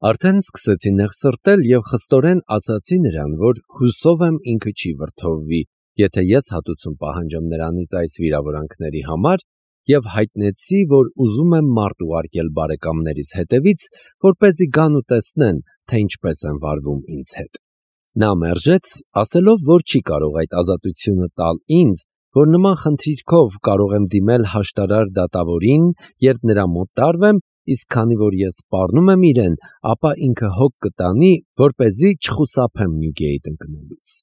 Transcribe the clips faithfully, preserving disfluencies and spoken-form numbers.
Արդեն սկսեցի նեղ սրտել և խստորեն ասացի նրան, որ հուսով եմ ինքը չի վրդովվի, եթե ես հատուցում պահանջեմ նրանից այս վիրավորանքների համար, և հայտնեցի, որ ուզում եմ մարդ ուղարկել բարեկամներիս հետևից, որպեսզի գան ու տեսնեն, թե ինչպես եմ վարվում ինձ հետ։ Նա մերժեց, ասելով, որ չի կարող այդ ազատությունը տալ ինձ, որ նման խնդիրքով կարող եմ դիմել հաշտարար դատավորին, երբ նրա մոտ տարվեմ, իսկ քանի որ ես սպառնում եմ իրեն, ապա ինքը հոգ կտանի, որպեսզի չխուսափեմ Նյուգեյթ ընկնելուց։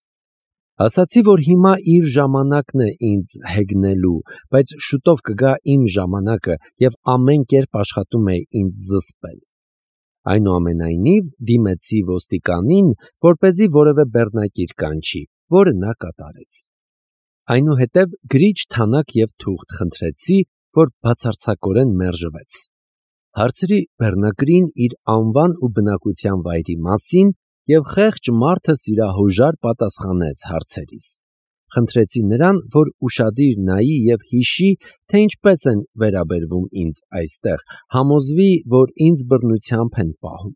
Ասացի, որ հիմա իր ժամանակն է ինձ հեգնելու, բայց շուտով կգա իմ ժամանակը և ամեն կերպ աշխատում է ինձ զսպել։ Այնուամենայնիվ դիմեցի ոստիկանին, որպեսզի որևէ բեռնակիր կանչի, որը նա կատարեց։ Այնուհետև գրիչ թանաք և թուղթ խնդրեցի, որ բացարձակորեն մերժվեց։ Հարցրի բեռնագրին իր անվան ու բնակության վայրի մասին և խեղճ մարդը սիրահոժար պատասխանեց հարցերիս։ Խնդրեցի նրան, որ ուշադիր նայի և հիշի, թե ինչպես են վերաբերվում ինձ այստեղ, համոզվի, որ ինձ բռնությամբ են պահում։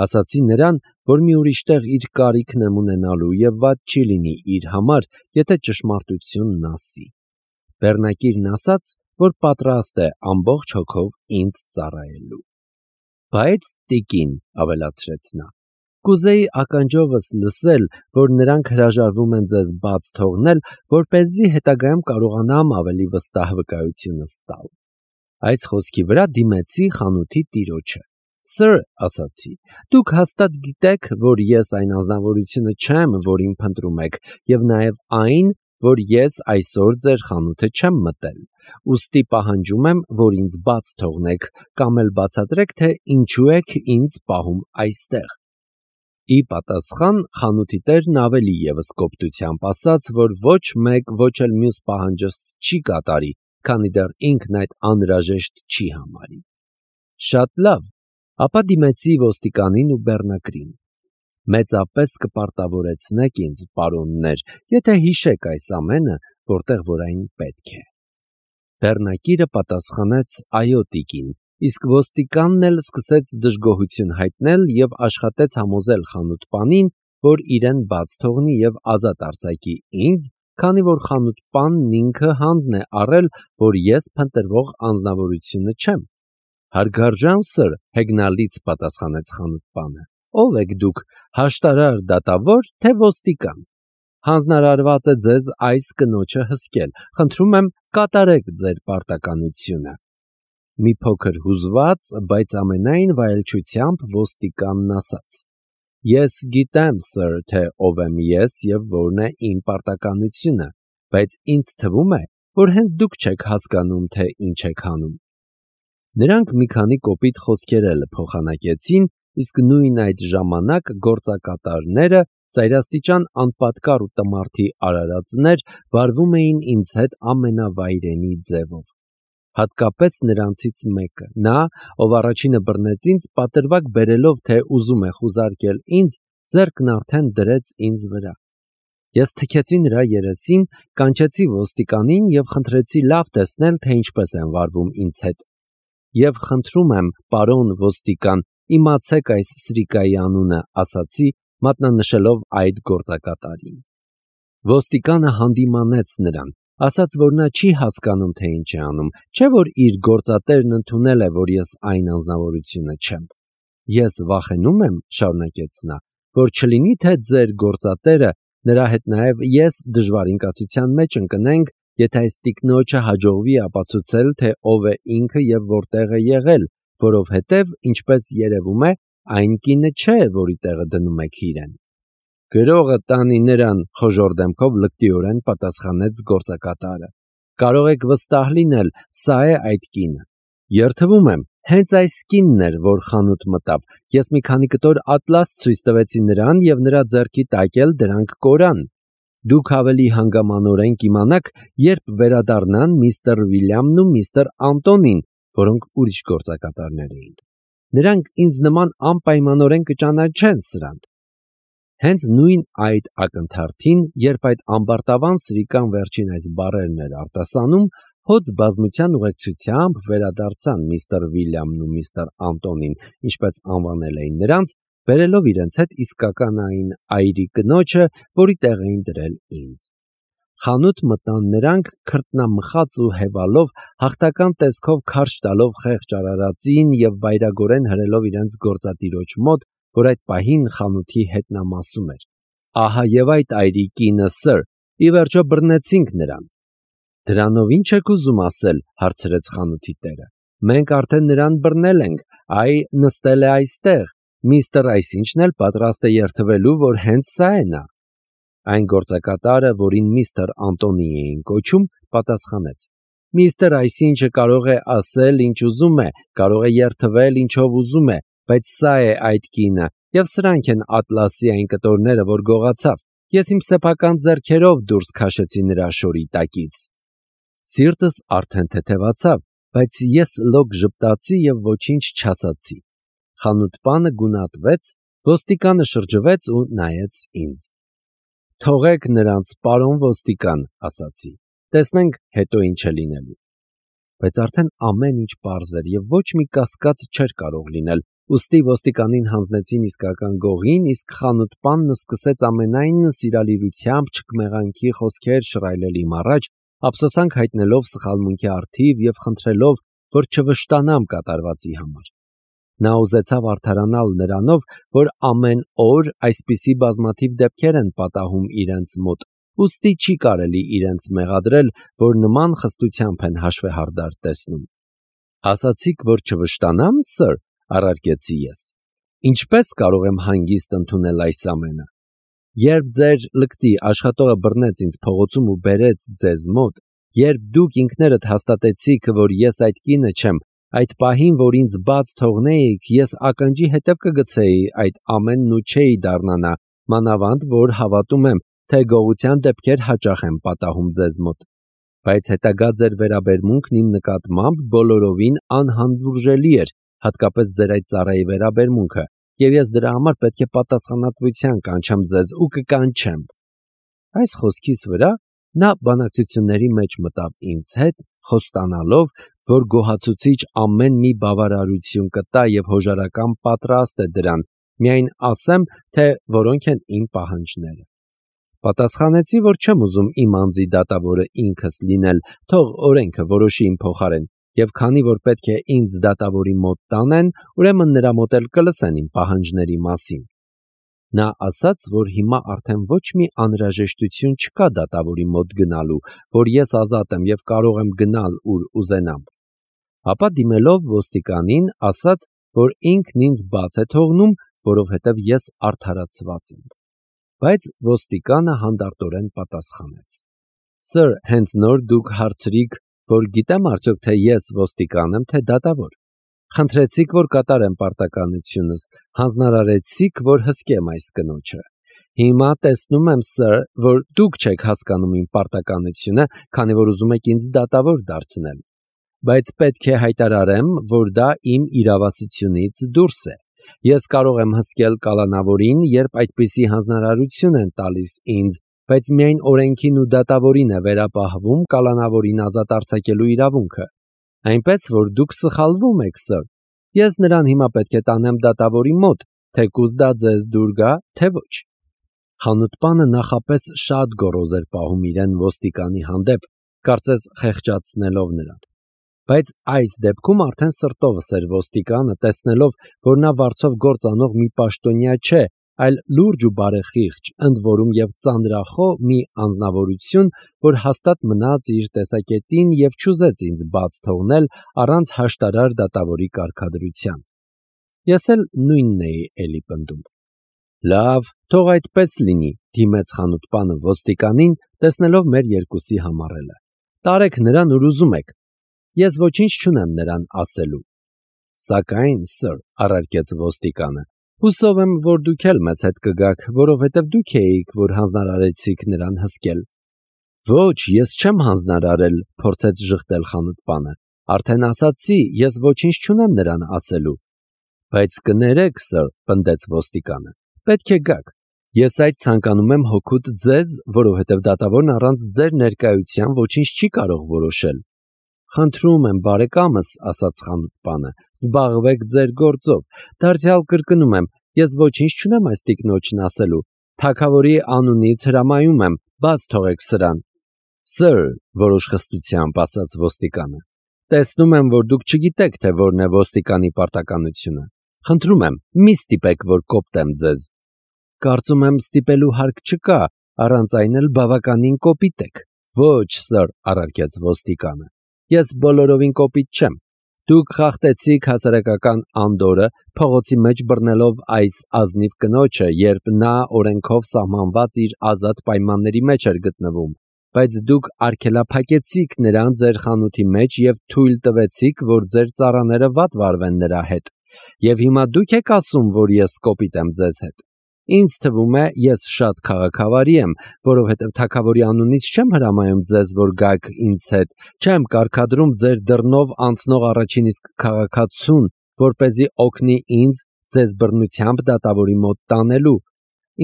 Ասացի նրան, որ մի ուրիշ տեղ իր կարիքն եմ ունենալու և վատ չի լինի իր համար, եթե ճշմարտությունն ասի։ Բեռնակիրն ասաց, որ պատրաստ է ամբողջ հոգով ինձ ծառայելու։ Բայց, տիկին, ավելացրեց նա, կուզեի ականջովս լսել, որ նրանք հրաժարվում են ձեզ բաց թողնել, որպեսզի հետագայում կարողանամ ավելի վստահ վկայությունս տալ։ Այս խոսքի վրա դիմեցի խանութի տիրոջը։ Սըր, ասացի, դուք հաստատ գիտեք, որ ես այն անձնավորությունը չեմ, որին փնտրում եք, և նաև այն, որ ես այսօր ձեր խանութը չեմ մտել, ուստի պահանջում եմ, որ ինձ բաց թողնեք, կամ էլ բացատրեք, թե ինչու եք ինձ պահում այստեղ։ Ի պատասխան խանութի տերն ավելի ևս կոպտությամբ ասաց, որ ոչ մեկ, ոչ էլ մյուս պահանջս չի կատարի, քանի դեռ ինքն այդ անհրաժեշտ չի համարի։ Շատ լավ, ապա դիմեցի ոստիկանին ու բեռնագրին։ Մեծապես կպարտավորեցնեք ինձ, պարոններ, եթե հիշեք այս ամենը, որտեղ որ այն պետք է։ Բեռնակիրը պատասխանեց. այո, տիկին, իսկ ոստիկանն էլ սկսեց դժգոհություն հայտնել և աշխատեց համոզել խանութպանին, որ իրեն բաց թողնի և ազատ արձակի ինձ, քանի որ խանութպանն ինքը հանձն է առել, որ ես փնտրվող անձնավորությունը չեմ։ Հարգարժան սըր, հեգնալից պատասխանեց խանութպանը, ո՞վ եք դուք, հաշտարար դատավոր, թե ոստիկան։ Հանձնարարված է ձեզ այս կնոջը հսկել, խնդրում եմ կատարեք ձեր պարտականությունը։ Մի փոքր հուզված, բայց ամենայն վայելչությամբ ոստիկանն ասաց. Ես գիտեմ, սըր, թե ով եմ ես և որն է իմ պարտականությունը, բայց ինձ թվում է, որ հենց դուք չեք հասկանում, թե ինչ եք անում։ Նրանք մի քանի կոպիտ խոսքեր էլ փոխանակեցին, իսկ նույն այդ ժամանակ գործակատարները, ծայրաստիճան անպատկառ ու տմարդի արարածներ, վարվում էին ինձ հետ ամենավայրենի ձևով։ Հատկապես նրանցից մեկը, նա, ով առաջինը բռնեց ինձ, պատրվակ բերելով, թե ուզում է խուզարկել ինձ, ձեռքն արդեն դրեց ինձ վրա։ Ես թքեցի նրա երեսին, կանչեցի ոստիկանին և խնդրեցի լավ տեսնել, թե ինչպես են վարվում ինձ հետ։ Եվ խնդրում եմ, պարոն ոստիկան, իմացեք այս սրիկայի անունը, ասացի, մատնանշելով այդ գործակատարին։ Ոստիկանը հանդիմանեց նրան, ասաց, որ նա չի հասկանում, թե ինչ է անում, չէ՞ որ իր գործատերն ընդունել է, որ ես այն անձնավորությունը չեմ։ Ես վախենում եմ, շարունակեց նա, որ չլինի, թե ձեր գործատերը, նրա հետ նաև ես դժվար ինկացության մեջ ընկնենք, եթե այս տիկնոջը հաջողվի ապացուցել, թե ով է ինքը և որտեղ է եղել, որովհետև, ինչպես երևում է, այն կինը չէ, որի տեղը դնում եք իրեն։ Գրողը տանի նրան, խոժոռ դեմքով լկտիորեն պատասխանեց գործակատարը։ Կարող եք վստահ լինել, սա է այդ կինը։ Երդվում եմ, հենց այս կինն էր, որ խանութ մտավ։ Ես մի քանի կտոր ատլաս ցույց տվեցի նրան և նրա ձեռքի տակ էլ դրանք կորան։ Դուք ավելի հանգամանորեն կիմանաք, երբ վերադառնան միստր Վիլյամն ու միստր Անտոնին, որոնք ուրիշ գործակատարներ էին։ Նրանք ինձ նման անպայմանորեն կճանաչեն սրանց։ Հենց նույն այդ ակնթարթին, երբ այդ ամբարտավան սրիկան վերջին այս բառերն էր արտասանում, Հոծ բազմության ուղեկցությամբ վերադարձան միստր Վիլյամն ու միստր Անտոնին, ինչպես անվանել էին նրանց, բերելով իրենց հետ իսկականային այրի կնոջը, որի տեղ էին դրել ինձ։ Խանութ մտան նրանք քրտնամխած ու հևալով, հաղթական տեսքով քարշ տալով խեղճ արարածին և վայրագորեն հրելով իրենց գործատիրոջ մոտ, որ այդ պահին խանութի հետնամասում էր։ Ահա եւ այդ այրի կինը, սըր, ի վերջո բռնեցինք նրան։ Դրանով ինչ եք ուզում ասել, հարցրեց խանութի տերը։ Մենք արդեն նրան բռնել ենք, այ նստել է այստեղ, միստր այսինչն էլ պատրաստ է երդվելու, որ հենց սա է նա։ Այն գործակատարը, որին միստր Անտոնի էին կոչում, պատասխանեց. Միստր այսինչը կարող է ասել, ինչ ուզում է, կարող է երդվել, ինչով ուզում է, բայց սա է այդ կինը, եւ սրանք են Ատլասի այն կտորները, որ գողացավ։ Ես իմ սեփական ձեռքերով դուրս քաշեցի նրա շորի տակից։ Սիրտս արդեն թեթևացավ, բայց ես լոկ ժպտացի եւ ոչինչ չասացի։ Խանութպանը գունատվեց, ոստիկանը շրջվեց ու նայեց ինձ։ Թողեք նրանց, պարոն ոստիկան, ասացի։ Տեսնենք հետո ինչ է լինելու։ Բայց արդեն ամեն ինչ պարզ էր եւ ոչ մի կասկած չէր կարող լինել։ Ուստի ոստիկանին հանձնեցին իսկական գողին, իսկ խանութպանն սկսեց ամենայն սիրալիրությամբ չկմեղանքի խոսքեր շռայլել իմ առաջ, ափսոսանք հայտնելով սխալմունքի առթիվ եւ խնդրելով, որ չվշտանամ կատարվածի համար։ Նա ուզեցավ արդարանալ նրանով, որ ամեն օր այսպիսի բազմաթիվ դեպքեր են պատահում իրենց մոտ, ուստի չի կարելի իրենց մեղադրել, որ նման խստությամբ են հաշվեհարդար տեսնում։ Ասացիք, որ չվշտանամ, սըր, առարկեցի ես։ Ինչպես կարող եմ հանգիստ ընդունել այս ամենը։ Երբ ձեր լկտի աշխատողը բռնեց ինձ փողոցում ու բերեց ձեզ մոտ, երբ դուք ինքներդ հաստատեցիք, որ ես այդ կինը չեմ, այդ պահին, որ ինձ բաց թողնեիք, ես ականջի հետև կգցեի այդ ամենն ու չէի դառնանա, մանավանդ, որ հավատում եմ, թե գողության դեպքեր հաճախ են պատահում ձեզ մոտ։ Բայց հետագա ձեր վերաբերմունքն իմ նկատմամբ բոլորովին անհանդուրժելի էր, հատկապես ձեր այդ ծառայի վերաբերմունքը, եւ ես դրա համար պետք է պատասխանատվության կանչեմ ձեզ ու կկանչեմ։ Այս խոսքիս վրա նա բանակցությունների մեջ մտավ ինձ հետ, խոստանալով, որ գոհացուցիչ ամեն մի բավարարություն կտա եւ հոժարական պատրաստ է դրան, միայն ասեմ, թե որոնք են իմ պահանջները։ Պատասխանեցի, որ չեմ ուզում իմ անձի դատավորը ինքս լինել, թող օրենքը որոշի իմ փոխարեն, եւ քանի որ պետք է ինձ դատավորի մոտ տանեն, ուրեմն նրա մոտ էլ կլսեն իմ պահանջների մասին։ Նա ասաց, որ հիմա արդեն ոչ մի անհրաժեշտություն չկա դատավորի մոտ գնալու, որ ես ազատ եմ եւ կարող եմ գնալ ուր ուզենամ։ Ապա դիմելով ոստիկանին, ասաց, որ ինքն ինձ բաց է թողնում, որովհետեւ ես արդարացված եմ։ Բայց ոստիկանը հանդարտորեն պատասխանեց. Սըր, հենց նոր դուք հարցրիք, որ գիտեմ արդյոք թե ես ոստիկան եմ, թե դատավոր։ Խնդրեցիք, որ կատարեմ պարտականությունս, հանձնարարեցիք, որ հսկեմ այս կնոջը։ Հիմա տեսնում եմ, սըր, որ դուք չեք հասկանում իմ պարտականությունը, քանի որ ուզում եք ինձ դատավոր դարձնել։ Բայց պետք է հայտարարեմ, որ դա իմ իրավասությունից դուրս է։ Ես կարող եմ հսկել կալանավորին, երբ այդպիսի հանձնարարություն են տալիս ինձ, բայց միայն օրենքին ու դատավորին է վերապահվում կալանավորին ազատ արձակելու իրավունքը։ Այնպես, որ դուք սխալվում եք, սըր։ Ես նրան հիմա պետք է տանեմ դատավորի մոտ, թեկուզ դա ձեզ դուր գա, թե ոչ։ Խանութպանը նախապես շատ գոռոզ էր պահում իրեն ոստիկանի հանդեպ, կարծես խեղճացնելով նրան։ Բայց այս դեպքում արդեն սրտովս էր ոստիկանը, տեսնելով, որ նա վարձով գործ անող մի պաշտոնյա չէ, այլ լուրջ ու բարեխիղճ, ընդ որում եւ ծանրախոհ մի անձնավորություն, որ հաստատ մնաց իր տեսակետին եւ չուզեց ինձ բաց թողնել առանց հաշտարար դատավորի կարգադրության։ Ես էլ նույնն էի էլի պնդում։ Լավ, թող այդպես լինի, դիմեց խանութպանը ոստիկանին, տեսնելով մեր երկուսի համառելը։ Տարեք նրան ուր ուզում եք։ Ես ոչինչ չունեմ նրան ասելու։ Սակայն, սըր, առարկեց ոստիկանը, հուսով եմ, որ դուք էլ մեզ հետ կգաք, որովհետև դուք էիք, որ հանձնարարեցիք նրան հսկել։ Ոչ, ես չեմ հանձնարարել, փորձեց ժխտել խանութպանը։ Արդեն ասացի, ես ոչինչ չունեմ նրան ասելու։ Բայց կներեք, սըր, պնդեց ոստիկանը, պետք է գաք։ Ես այդ ցանկանում եմ հոգուտ ձեզ, որովհետև դատավորն առանց ձեր ներկայության ոչինչ չի կարող որոշել։ Խնդրում եմ, բարեկամս, ասաց խանութպանը, զբաղվեք ձեր գործով, դարձյալ կրկնում եմ, ես ոչինչ չունեմ այս տիկնոջն ասելու, թագավորի անունից հրամայում եմ, բաց թողեք սրան։ Sir, որոշ խստությամբ ասաց ոստիկանը, տեսնում եմ, որ դուք չգիտեք, թե որն է ոստիկանի պարտականությունը, խնդրում եմ, մի ստիպեք, որ կոպտեմ ձեզ։ Կարծում եմ ստիպելու հարկ չկա, առանց այն էլ բավականին կոպիտ եք։ Ոչ, Sir, առարկեց ոստիկանը, ես բոլորովին կոպիտ չեմ։ Դուք խախտեցիք հասարակական անդորը, փողոցի մեջ բռնելով այս ազնիվ կնոջը, երբ նա օրենքով սահմանված իր ազատ պայմանների մեջ էր գտնվում, բայց դուք արգելափակեցիք նրան ձեր խանութի մեջ և թույլ տվեցիք, որ ձեր ծառաները վատ վարվեն նրա հետ։ Եվ հիմա դուք եք ասում, որ ես կոպիտ եմ ձեզ հետ։ Ինձ թվում է, ես շատ քաղաքավարի եմ, որովհետև թագավորի անունից չեմ հրամայում ձեզ, որ գաք ինձ հետ, չեմ կարգադրում ձեր դռնով անցնող առաջին իսկ քաղաքացուն, որպեսզի օգնի ինձ ձեզ բռնությամբ դատավորի մոտ տանելու։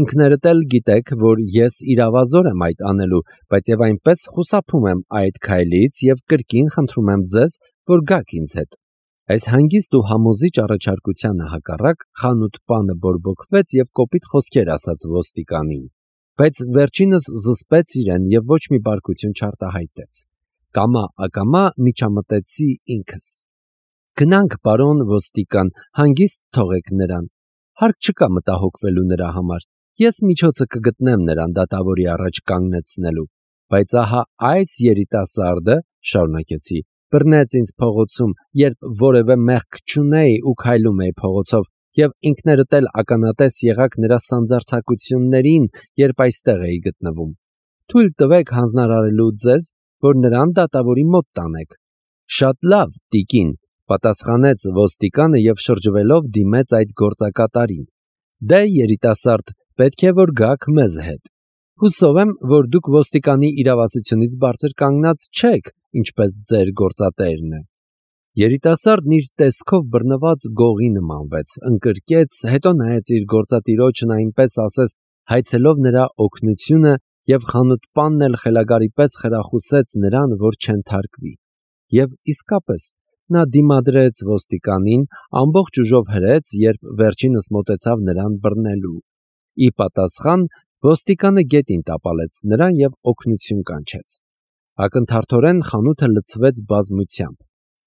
Ինքներդ էլ գիտեք, որ ես իրավազոր եմ այդ անելու, բայց եւ այնպես խուսափում եմ այդ քայլից եւ կրկին խնդրում եմ ձեզ, որ գաք ինձ հետ։ Այս հանգիստ ու համոզիչ առաջարկությանը հակառակ խանութպանը բորբոքվեց եւ կոպիտ խոսքեր ասաց ոստիկանին, բայց վերջինս զսպեց իրեն եւ ոչ մի բարկություն չարտահայտեց։ Կամա ակամա միջամտեցի ինքս։ Գնանք, պարոն ոստիկան, հանգիստ թողեք նրան։ Հարկ չկա մտահոգվելու նրա համար։ Ես միջոցը կգտնեմ նրան դատավորի առաջ կանգնեցնելու, բայց ահա այս երիտասարդը, շարունակեցի, բռնեց ինձ փողոցում, երբ որևէ մեղք չունեի ու քայլում էի փողոցով, եւ ինքներդ էլ ականատես եղաք նրա սանձարձակություններին, երբ այստեղ էի գտնվում։ Թույլ տվեք հանձնարարելու ձեզ, որ նրան դատավորի մոտ տանեք։ Շատ լավ, տիկին, պատասխանեց ոստիկանը եւ շրջվելով դիմեց այդ գործակատարին։ Դե երիտասարդ, պետք է որ գաք մեզ հետ։ Հուսով եմ, որ դուք ոստիկանի իրավասությունից բարձր կանգնած չեք, ինչպես ձեր գործատերն է։ Երիտասարդն իր տեսքով բռնված գողի նմանվեց, ընկրկեց, հետո նայեց իր գործատիրոջն այնպես ասես հայցելով նրա օգնությունը եւ խանութպանն էլ խելագարի պես խրախուսեց նրան, որ չընթարկվի։ Եվ իսկապես նա դիմադրեց ոստիկանին, ամբողջ ուժով հրեց, երբ վերջինս մոտեցավ նրան բռնելու։ Ի պատասխան ոստիկանը գետին տապալեց նրան եւ օգնություն կանչեց։ Ակնթարթորեն խանութը լցվեց բազմությամբ։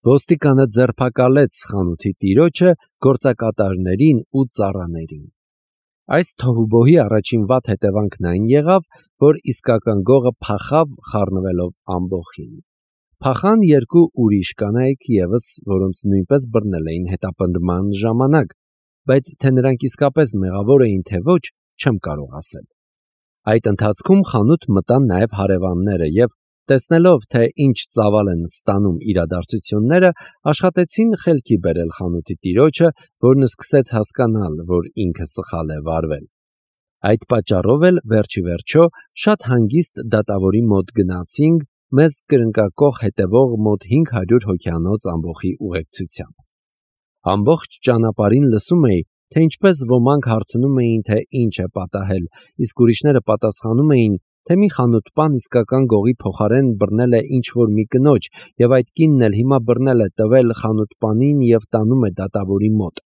Ոստիկանը ձերբակալեց խանութի տիրոջը, գործակատարներին ու ծառաներին։ Այս թոհուբոհի առաջին վատ հետևանքն այն եղավ, որ իսկական գողը փախավ խառնվելով ամբոխին։ Փախան երկու ուրիշ կանայք եւս, որոնց նույնպես բռնել էին հետապնդման ժամանակ, բայց թե նրանք իսկապես մեղավոր էին, թե ոչ, չեմ կարող ասել։ Այդ ընթացքում խանութ մտան նաև հարևանները եւ տեսնելով, թե ինչ ծավալ են ստանում իրադարձությունները, աշխատեցին խելքի բերել խանութի տիրոջը, որն սկսեց հասկանալ, որ ինքը սխալ է վարվել։ Այդ պատճառով էլ վերջի վերջո շատ հանգիստ դատավորի մոտ գնացինք մեզ կրնկակող հետևող մոտ հինգ հարյուր հոգյանոց ամբոխի ուղեկցությամբ։ Ամբողջ ճանապարհին լսում էի, թե ինչպես ոմանք հարցնում էին, թե ինչ է պատահել, իսկ ուրիշները պատասխանում էին, թե մի խանութպան իսկական գողի փոխարեն բռնել է ինչ-որ մի կնոջ, եւ այդ կինն էլ հիմա բռնել է տվել խանութպանին եւ տանում է դատավորի մոտ։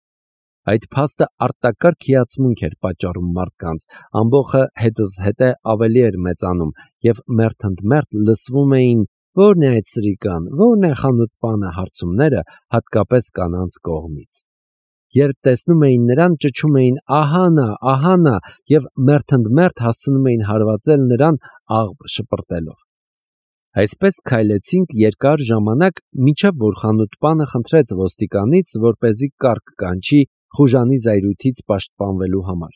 Այդ փաստը արտակարգ հիացմունք էր պատճառում մարդկանց, ամբոխը հետզհետե ավելի էր մեծանում, եւ մերթընդմերթ լսվում էին «Ո՞րն է այդ սրիկան, ո՞րն է խանութպանը» հարցումները, հատկապես կանանց կողմից։ Երբ տեսնում էին նրան, ճչում էին «Ահա նա, ահա նա» եւ մերթընդմերթ հասցնում էին հարվածել նրան աղբ շպրտելով։ Այսպես քայլեցինք երկար ժամանակ, մինչև որ խանութպանը խնդրեց ոստիկանից, որպեսզի կարգ կանչի խուժանի զայրույթից պաշտպանվելու համար։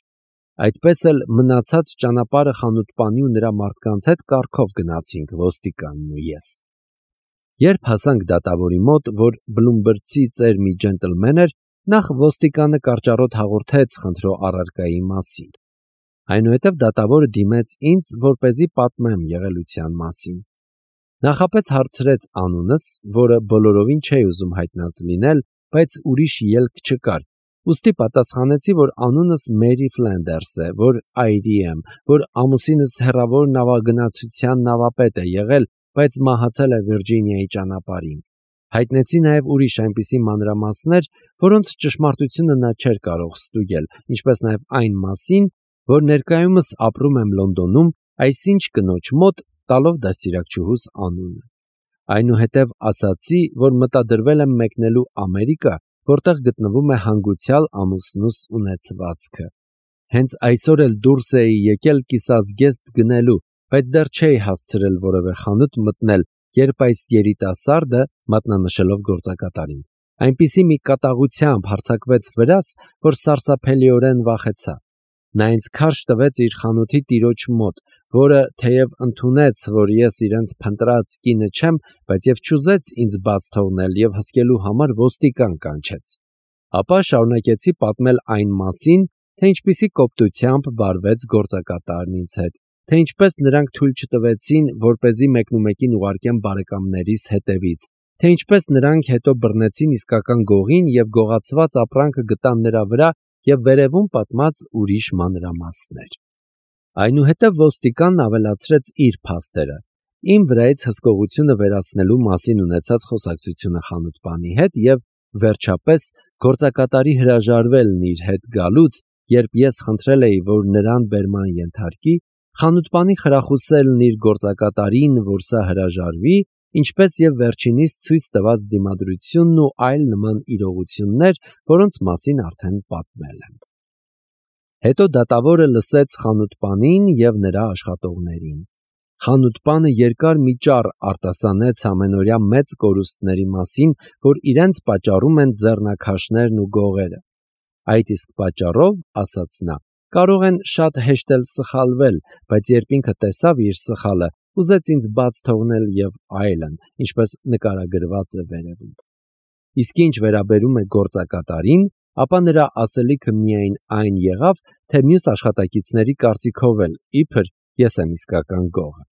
Այդպես էլ մնացած ճանապարհը խանութպանի ու նրա մարդկանց հետ կարգով գնացինք ոստիկանն ու ես։ Երբ հասանք դատավորի մոտ, որ բլումբրդցի ծեր մի ջենտլմեն էր, նախ ոստիկանը կարճառոտ հաղորդեց խնդրո առարկայի մասին։ Այնուհետև դատավորը դիմեց ինձ, որպեսզի պատմեմ եղելության մասին։ Նախապես հարցրեց անունս, որը բոլորովին չէի ուզում հայտնած լինել, բայց ուրիշ ելք չկար։ Ուստի պատասխանեցի, որ անունս Մերի Ֆլենդերս է, որ այրի եմ, որ ամուսինս հեռավոր նավագնացության նավապետ է եղել, բայց մահացել է Վիրջինիայի ճանապարհին։ Հայտնեցի նաև ուրիշ այնպիսի մանրամասներ, որոնց ճշմարտությունը նա չէր կարող ստուգել, ինչպես նաև այն մասին, որ ներկայումս ապրում եմ Լոնդոնում, այսինչ կնոջ մոտ, տալով դաստիարակչուհուս անունը։ Այնուհետև ասացի, որ մտադրվել եմ մեկնելու Ամերիկա, որտեղ գտնվում է հանգուցյալ ամուսնուս ունեցվածքը։ Հենց այսօր էլ դուրս էի եկել կիսազգեստ գնելու, բայց դեռ չէի հասցրել որևէ խանութ մտնել, երբ այս երիտասարդը, մատնանշելով գործակատարին, այնպիսի մի կատաղությամբ հարձակվեց վրաս, որ սարսափելիորեն վախեցա։ Նա ինձ քարշ տվեց իր խանութի տիրոջ մոտ, որը թեև ընդունեց, որ ես իրենց փնտրած կինը չեմ, բայց եւ չուզեց ինձ բաց թողնել եւ հսկելու համար ոստիկան կանչեց։ Ապա շարունակեցի պատմել այն մասին, թե ինչպիսի կոպտությամբ վարվեց գործակատարն ինձ հետ, թե ինչպես նրանք թույլ չտվեցին, որպեսզի մեկնումեկին ուղարկեմ բարեկամներիս հետևից, թե ինչպես նրանք հետո բռնեցին իսկական գողին եւ գողացված ապրանքը գտան նրա վրա եւ վերևում պատմած ուրիշ մանրամասներ։ Այնուհետև ոստիկանն ավելացրեց իր փաստերը, իմ վրայից հսկողությունը վերացնելու մասին ունեցած խոսակցությունը խանութպանի հետ եւ վերջապես գործակատարի հրաժարվելն իր հետ գալուց, երբ ես խնդրել էի, որ նրան բերման ենթարկի, խանութպանի խրախուսելն իր գործակատարին, որ սա հրաժարվի, ինչպես եւ վերջինիս ցույց տված դիմադրությունն ու այլ նման իրողություններ, որոնց մասին արդեն պատմել եմ։ Հետո դատավորը լսեց խանութպանին եւ նրա աշխատողներին։ Խանութպանը երկար մի ճառ արտասանեց ամենօրյա մեծ կորուստների մասին, որ իրենց պատճառում են ձեռնաքաշներն ու գողերը։ Այդ իսկ պատճառով, ասաց նա, կարող են շատ հեշտ էլ սխալվել, բայց երբ ինքը տեսավ իր սխալը, ուզեց ինձ բաց թողնել եւ այլն, ինչպես նկարագրված է վերևում։ Իսկ ինչ վերաբերում է գործակատարին, ապա նրա ասելիքը միայն այն եղավ, թե մյուս աշխատակիցների կարծիքով էլ իբր ես եմ իսկական գողը։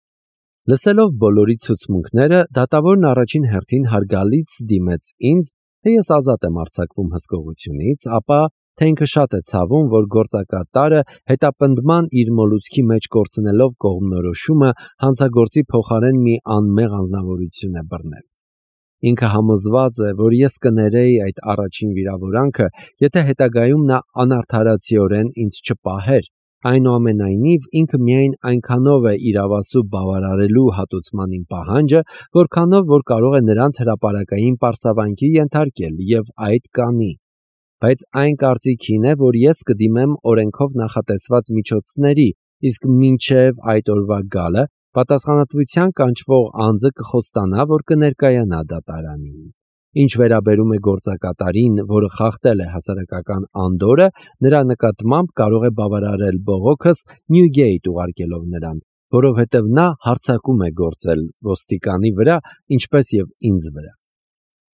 Լսելով բոլորի ցուցմունքները, դատավորն առաջին հերթին հարգալից դիմեց ինձ, թե ես ազատ եմ արձակվում հսկողությունից, ապա թե ինքը շատ է ցավում, որ գործակատարը հետապնդման իր մոլուցքի մեջ կորցնելով կողմնորոշումը հանցագործի փոխարեն մի անմեղ անձնավորություն է բռնել։ Ինքը համոզված է, որ ես կներեի այդ առաջին վիրավորանքը, եթե հետագայում նա անարդարացիորեն ինձ չպահեր, այնուամենայնիվ ինքը միայն այնքանով է իրավասու բավարարելու հատուցման իմ պահանջը, որքանով որ կարող է նրանց հրապարակային պարսավանքի ենթարկել եւ այդ կանի։ Բայց այն կարծիքին է, որ ես կդիմեմ օրենքով նախատեսված միջոցների, իսկ մինչև այդ օրվա գալը պատասխանատվության կանչվող անձը կխոստանա, որ կներկայանա դատարանին։ Ինչ վերաբերում է գործակատարին, որը խախտել է հասարակական անդորը, նրա նկատմամբ կարող է բավարարել բողոքս Նյուգեյթ ուղարկելով նրան, որովհետև նա հարձակում է գործել ոստիկանի վրա, ինչպես եւ ինձ վրա։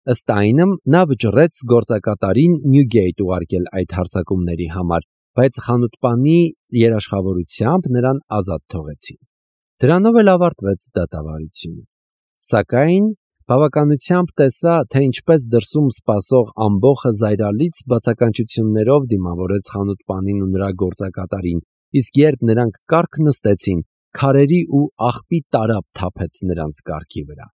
Ըստ այնմ, նա վճռեց գործակատարին Նյուգեյթ ուղարկել այդ հարձակումների համար, բայց խանութպանի երաշխավորությամբ նրան ազատ թողեցին։ Դրանով էլ ավարտվեց դատավարությունը։ Սակայն բավականությամբ տեսա, թե ինչպես դրսում սպասող ամբոխը զայրալից բացականչություններով դիմավորեց խանութպանին ու նրա գործակատարին, իսկ երբ նրանք կառք նստեցին, քարերի ու աղբի տարափ թափեց նրանց կառքի վրա։